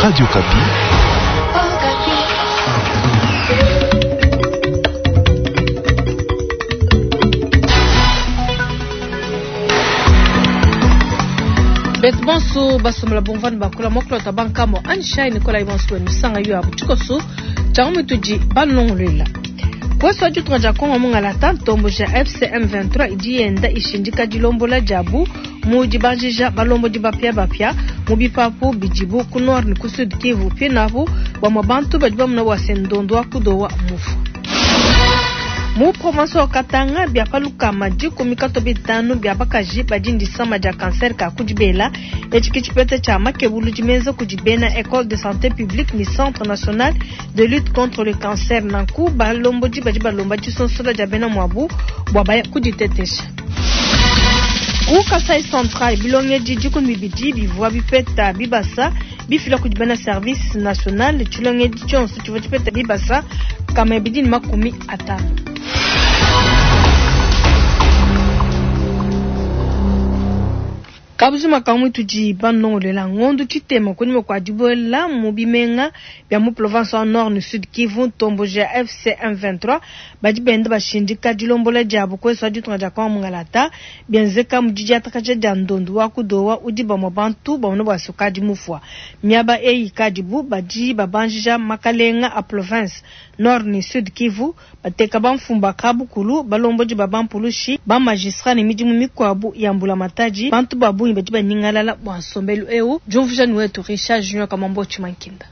Radio Okapi. Betu bonso basomela bumvua ne bakula muakulota bankamo anjishayi nikolayi bonso wenu sanga yo abu tshikoso tshia mutudi balongoluela Kuesu wa ditunga dia Kongo mungalata ntombo ja FCM 23 idi yenda ishindika dilombola diabu mu dibanjija balombodi bapiabapia mu bipapu bidibu ku nord ne ku sud Kivu. Pinapu bamue bantu badi bamona bua se ndondo wa kudowa mufua. Mu province wa Katanga bia pa 105 bia bakaji badi ne disama dia cancer ka ku dibela. Etshi ke tshipeta tshia makebuludi menza kudi bena Ecole de Sante Publique ne Centre National de Lutte contre le Cancer. Nanku balombodi badi balomba disonsola dia bena muabu bua baya kuditetesha. Ku Kasai Central bilongedi 12 bivua bipeta bibasa bifila kudi bena service national. Tshilongedi tshionso tshivua tshipeta bibasa 250. Kabujima ka mutudi banongolela ngondo tshitema kunyima kua dibuela mu bimenga bia mu province wa Nord ne Sud Kivu ntomboji ya FC M23 badi benda bashindika dilombola diabu kuesu wa ditunga dia Kongo mungalata bienzeka mu didiatakaja dia ndondo wa kudowa udi bamue bantu bamona bua se ukadi mufua. Miaba eyi kadibu badi babanjija makalenga a province Nord ne Sud Kivu bateka bamfumu ba kabukulu balombodi ba bampulushi ba magistrat ne midimu mikuabu ya mbulamatadi. Bantu ba bungi badi banyingalala bua nsombelu eu. Diumvuija ni wetu Richard Junior Kamambo Tshimankinda.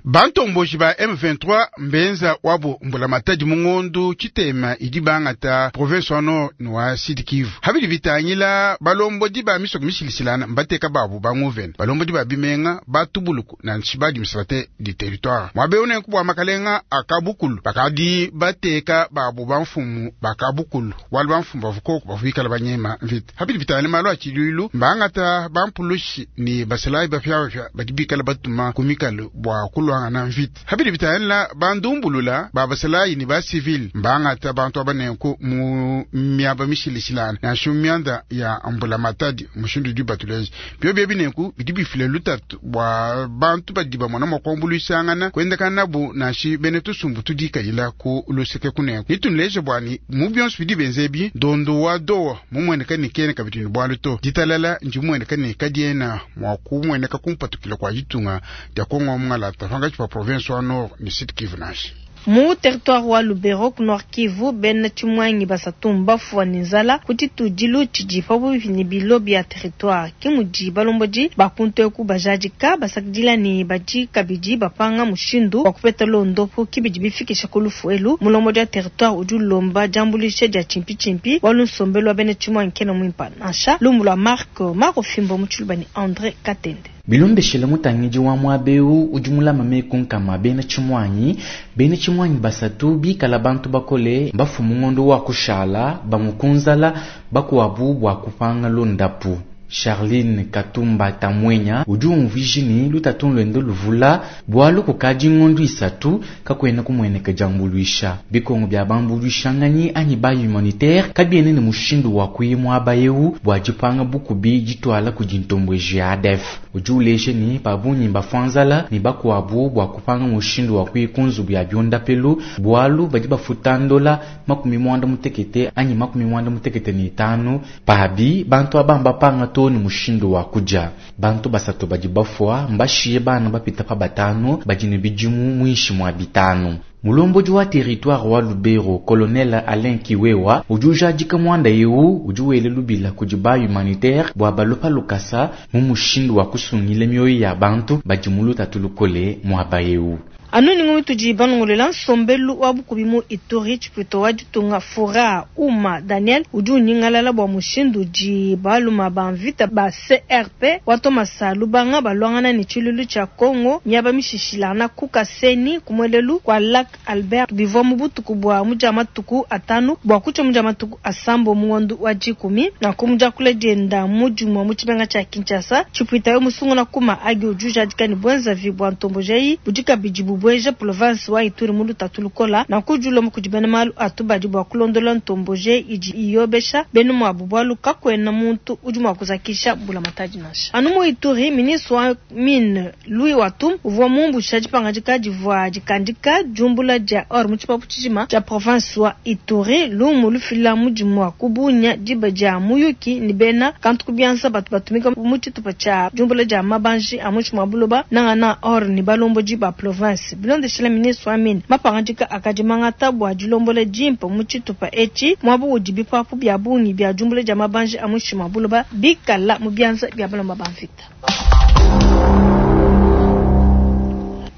Bantomboji ba M23 mbenza wabu mbulamatadi mu ngondu tshitema idi bangata province wa Nord ne wa Sud Kivu. Habidi bitangila balombodi ba misoko mishilishilana mbateka babu ba nguvena balombodi ba bimenga batubuluku na nshiba administrateur du territoire. Mwabe une kubwa makalenga akabukulu bakadi bateka babu ba mfumu bakabukulu wali ba mfumu bavukoko bavuikala banyema mvita. Habidi bitangila malu a tshiluilu mbangata bampulushi ni basalayi bapyabapya badi bikala batuma ku mikalu bua kulwangana mvita. Habidi bitangila bandumbulula ba basalayi ni ba civil mbangata bantu abanenku mu miaba mishilishilana nansha mianda ya mbulamatadi mushindu udi batuleje byo bye binenku bidi bifile lutatu bua bantu badi bamona mua kuambuluishangana kuendekana nabu nansha bene tusumbu tudikayila ku luseke kunenku nitunuleje bua ni mu bionso bidi benzebi ndondo wa dowa mumueneka ni kene kabidi ni bualu to ditalala njumueneka ni kadiena mua kumueneka kumpatukila kua ditunga dia Kongo mungalata pangatshi pa province wa Nord ne Sud Kivu nansha. Mu territoire wa Lubero ku Nord Kivu bena tshimwangi basatu mbafua ne nzala ku tshitudilu tshidi pabuipi ne bilo bia territoire. Ke mudi balombodi ba kuntu eku bajadika basakidila ne badi kabidi bapanga mushindu wa kupeta londopo kibidi bifikisha ku lufu elu. Mulombodi wa territoire udi ulomba diambuluisha dia tshimpitshimpi wa lunsombelu wa bena tshimwangi kena muimpa nansha. Lumbu lua Marc Maro Fimbo mu tshiluba ne André Katende. Bilondeshele mutangidi wa mwabeu udi mulama meku nkama bena tshimwanyi, bena tshimwanyi basatu bikala bantu bakole bafumu ngondo wa kushala bamukunzala bakuabu bua kupanga londapu. Charline Katumba Tamwenya udi umvuija ni lutatu lwende luvula bualu kukadi ngondo isatu kakwena kumweneka diambuluisha. Bikongo bia bambuluishanganyi anyi ba humanitaire kabiene ne mushindu wa kuyimwa abayeu bua dipanga bukubi ditwala kudi ntombweji ya ADF. Udi uleje ni babunyi bafanzala ni bakuabu bua kupanga mushindu wa kuyikunzu bia biondapelu bualu badi bafuta ndola 75 anyi 95 pabi bantu abamba panga to ni mushindu wa kuja. Bantu basatu badi bafua mbashiye bana bapita pa batano badi ne bidimu mwishi mwa bitano. Mulombodi wa territoire wa Lubero, Colonel Alain Kiwewa, udi ujadika mwanda eu udi wele lubila kudi ba humanitaire bua balopa lukasa mu mushindu wa kusungila mioyo ya bantu badi mu lutatu lukole muaba eu. Anu ningu tudi banongolela nsombelu wa bukubi mu Ituri tshipito wa ditunga Fura Uma Daniel udi unyingalala bua mushindu udi baluma ba mvita ba CRP wa Thomas Lubanga balwangana ne tshilulu tshia Congo miaba mishishilana ku Kaseni kumwelelu kwa Lac Albert bivua mu butuku bua mudia matuku atanu bua kutsha mudia matuku asambo mu ngondo wa dikumi na kumudia kule dienda mudimua mu tshimenga tshia Kinshasa tshipita yo musunguna kuma agi udi ujadika ne bwenzavi bua ntombojai budi kabidi bubwe ibueja polovense wa Ituri mu lutatu lukola. Nanku udi ulomba kudi bena malu a tubadi bua kulondola ntomboje idi iyobesha bena muabu bualu kakuena muntu udi mua kuzakisha mbulamatadi nansha. Anu mu Ituri, ministre wa mine Louis Watum uvua mumbusha dipangadika divua dikandika diumbula dia or mu tshipapu tshijima tshia province wa Ituri. Lumu lufila mudimu wa ku Bunia diba dia muyuki ne bena kantu ku bianza batu batumika mu tshitupa tshia diumbula dia mabanji a muinshi mua buloba nangananga or ne balombodi ba province. Bilondeshila ministre wa mine, mapangadika akadi mangata bua dilombola dimpe mu tshitupa etshi muaba udi bipapu bia bungi bia diumbula dia mabanji a muinshi mua buloba bikala mu bianza bia balomba ba mvita.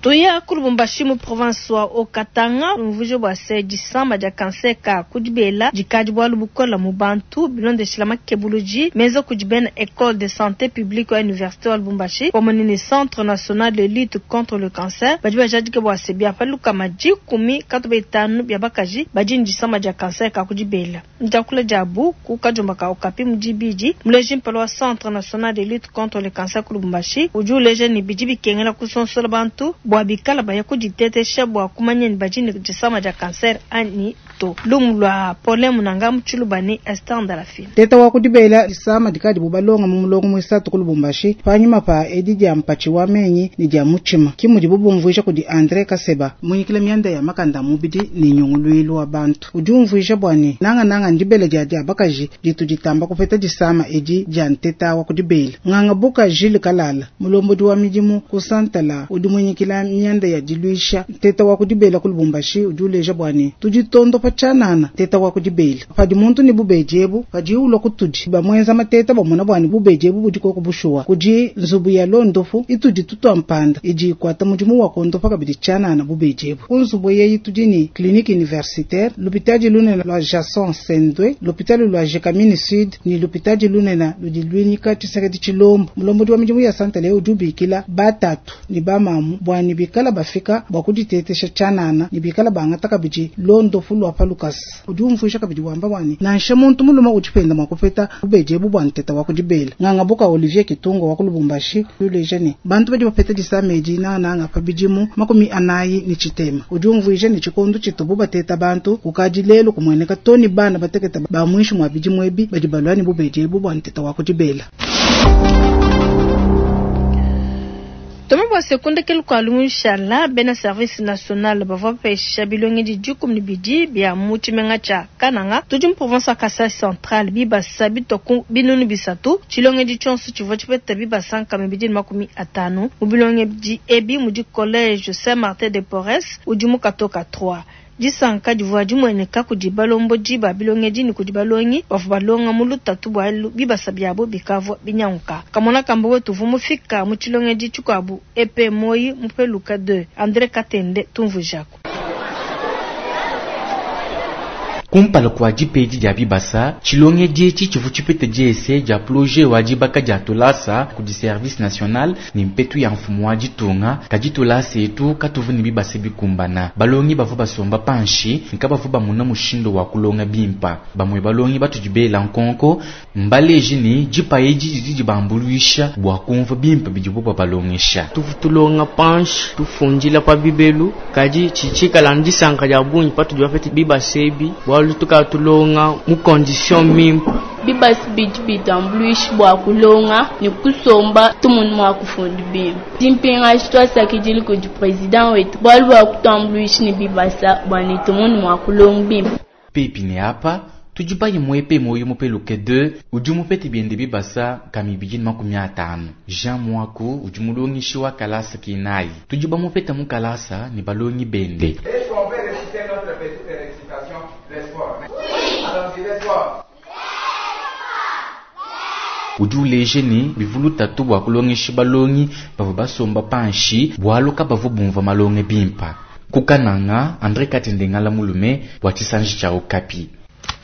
Tuya ku Lubumbashi mu province wa Haut-Katanga, umvuije bua se disama dia cancer ka ku dibela dikadi bualu bukola mu bantu bilondeshila makebuludi menza kudi bena Ecole de sante publique wa universite wa Lubumbashi pamue ne Centre national de lutte contre le cancer badi bajadika bua se bia pa 150 bia bakaji badi ne disama dia cancer ka ku dibela. Mu diakula diabu ku kadiomba ka Okapi mu dibidi, muleji mpala wa Centre national de lutte contre le cancer ku Lubumbashi udi uleja ne, bidi bikengela kusonsola bantu bua bikala baya kuditetesha bua kumanya ni badi ne disama dia cancer anyi to. Lumu lua Paulin Munanga mu Tshiluba ne Esther Ndalafina. Teta wa ku dibela disama dikadibu balonga mu mulongo muisatu ku Lubumbashi panyima pa edi dia mpatshi wa menyi ne dia mutshima, ke mudibu bumvuija kudi Andre Kaseba, munyikila mianda ya makanda a mubidi ne nyunguluilu wa bantu. Udi umvuija bua ne, nangananga ndibela dia dia bakaji ditu ditamba kupeta disama edi dia nteta wa ku dibela. Nganga Buka Jules Kalala, mulombodi wa midimu ku Santala udi munyikila mianda ya diluisha nteta wa ku dibela ku Lubumbashi, udi uleja bua ne, tudi tondopa tshianana nteta wa ku dibela. Padi muntu ne bubedi ebu, padiye ulua kutudi bamuenza mateta bamona bua ne bubedi ebu budi koko bushuwa. Kudi nzubu ya londopu itudi tutua mpanda idi ikuata mudimu wa kondopa kabidi tshianana bubedi ebu. Ku nzubu eyi tudi ne clinique universitaire, lupitadi lunene lua Jason Sendwe, lupitadi lua Gécamines Sud ne lupitadi lunene ludi luinyika Tshisekedi Tshilombo. Mulombodi wa midimu ya Santale udi ubikila batatu ne bamamu bua ne bikala bafika bua kuditetesha tshianana ne bikala bangata kabidi londopu lua pa lukasa. Udi umvuija kabidi wamba bua ne nansha muntu mulume udi penda mua kupeta bubedi ebu bua nteta wa ku dibela. Nganga Buka Olivier Kitunga wa ku Lubumbashi udi uleja ne bantu badi bapeta disama edi nangananga pa bidimu 43. Udi umvuija ne tshikondo tshitubu bateta bantu kukadi lelu kumueneka to ne bana batekete ba muinshi mua bidimu ebi badi balua ne bubedi ebu bua nteta wa ku dibela. Toma bua se ku ndekelu kua lumushala bena service national bavua bapesha bilongedi 12 bia mu tshimenga tshia Kananga tudi mu province wa Kasai Central bibasa bitua ku 300. Tshilongedi tshionso tshivua tshipeta bibasa 250. Mu bilongedi ebi mudi collège Saint Martin de Porres udi mu Katoka 3. Disanka divua dimueneka kudi balombodi ba bilongedi ne kudi balongi bavua balonga mu lutatu bualu bibasa biabo bikavua binyanguka. Kamona kamba wetu uvua mufika mu tshilongedi tshikuabu epe moyi mupeluka 2 Andre Katende tumvuijaku. Kumpala kua dipedi dia bibasa, tshilongedi etshi tshivua tshipete diese dia projet wa dibaka dia tulasa kudi service national ne mpetu ya mfumu wa ditunga. Kadi tulasa etu katuvu ne bibasa bikumbana. Balongi bavua basomba panshi ne kabavua bamona mushindu wa kulonga bimpa. Bamue balongi batudi bela nkonko mbaleji ne dipa edi didi dibambuluisha bua kumvua bimpe bidibo babalongesha. Tuvu tulonga panshi tufundila pa bibelu, kadi tshitshikala ndisanka dia bungi patudi bapete bibasa ebi bualu tukala tulonga mu condition mimpe. Bibasa bidi bitambuluisha bua kulonga ne kusomba tumunu mua kufunda bimpe. Dimpingaji twasakidile kudi president wetu bualu bua kutambuluisha ne bibasa bua ne tumunu mua kulonga bimpe. Pepi ne apa tudi bayi muepe moyo mupeluke 2 udi mupete biende bibasa 250. Jean Mwaku udi mulongeshi wa kalasa kinayi, tudi bamupeta mu kalasa ne balongi bende. Est-ce qu'on peut réciter notre petite récitation? L'espoir. Oui. Allons-y, l'espoir. Udi uleja ne bivulu tatu bua kulongesha balongi bavua basomba panshi bualu kabavua bumvua malonge bimpa. Kukananga Andre Katende ngala mulume bua tshisanji tshia Okapi.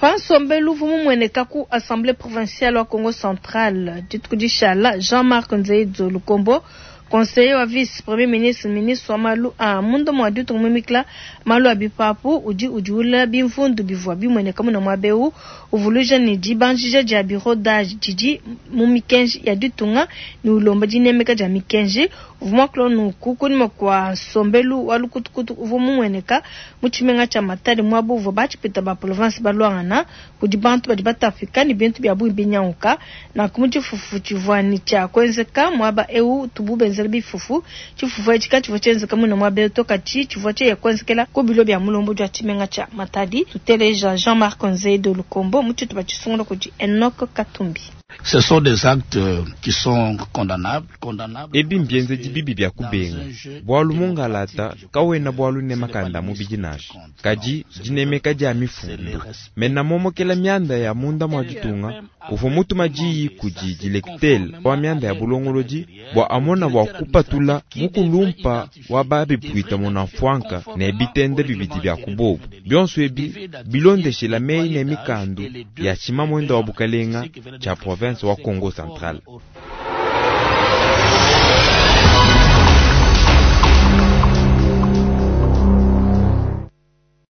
Pansombelu uvua mumueneka ku assemblée provinciale wa Congo Central dituku dishala, Jean-Marc Nzeidzo Lukombo. Conseiller wa vice premier ministre, ministre wa malu a munda mua ditunga muimikila malu a bipapu udi udiula bimvundu bivua bimueneka muna muaba eu, uvuluija ne dibanjija dia bureau d'age didi mu mikenji ya ditunga ne ulomba dinemeka dia mikenji. Uvua muakula nunku kunyima kua nsombelu wa lukutukutu uvua mumueneka mu tshimenga tshia Matadi, muaba uvua batshipwita ba province baluangana kudi bantu badi batapika ne bintu bia bungi binyanguka. Nanku mu tshifufu tshivua ne tshia kuenzeka muaba eu utubu benzela bifufu, tshifufu etshi katshivua tshienzeka muine muaba eu to, kadi tshivua tshieya kuenzekela ku bilo bia mulombodi wa tshimenga tshia Matadi. Tuteleja Jean-Marc Nzedo Lukombo mu tshitupa tshisungula kudi Enock Katumbi. Ce sont des actes qui sont condamnables, condamnables. Ebi mbienzedi bibi bia kubenga, bualu mungalata kawena bualu ne makanda a mubidi nansha, kadi dinemeka dia mifundu. Mena momokela mianda ya munda mua ditunga uvua mutuma diyi kudi dilektele wa mianda ya bulongolodi bua amona bua kupatula mukulumpa wa ba bipuita munamfuanka ne bitende bibidi bia ku bobu. Bionso ebi bilondeshela meyi ne mikandu ya tshimamuenda wa bukalenga tshia province wa Kongo Central.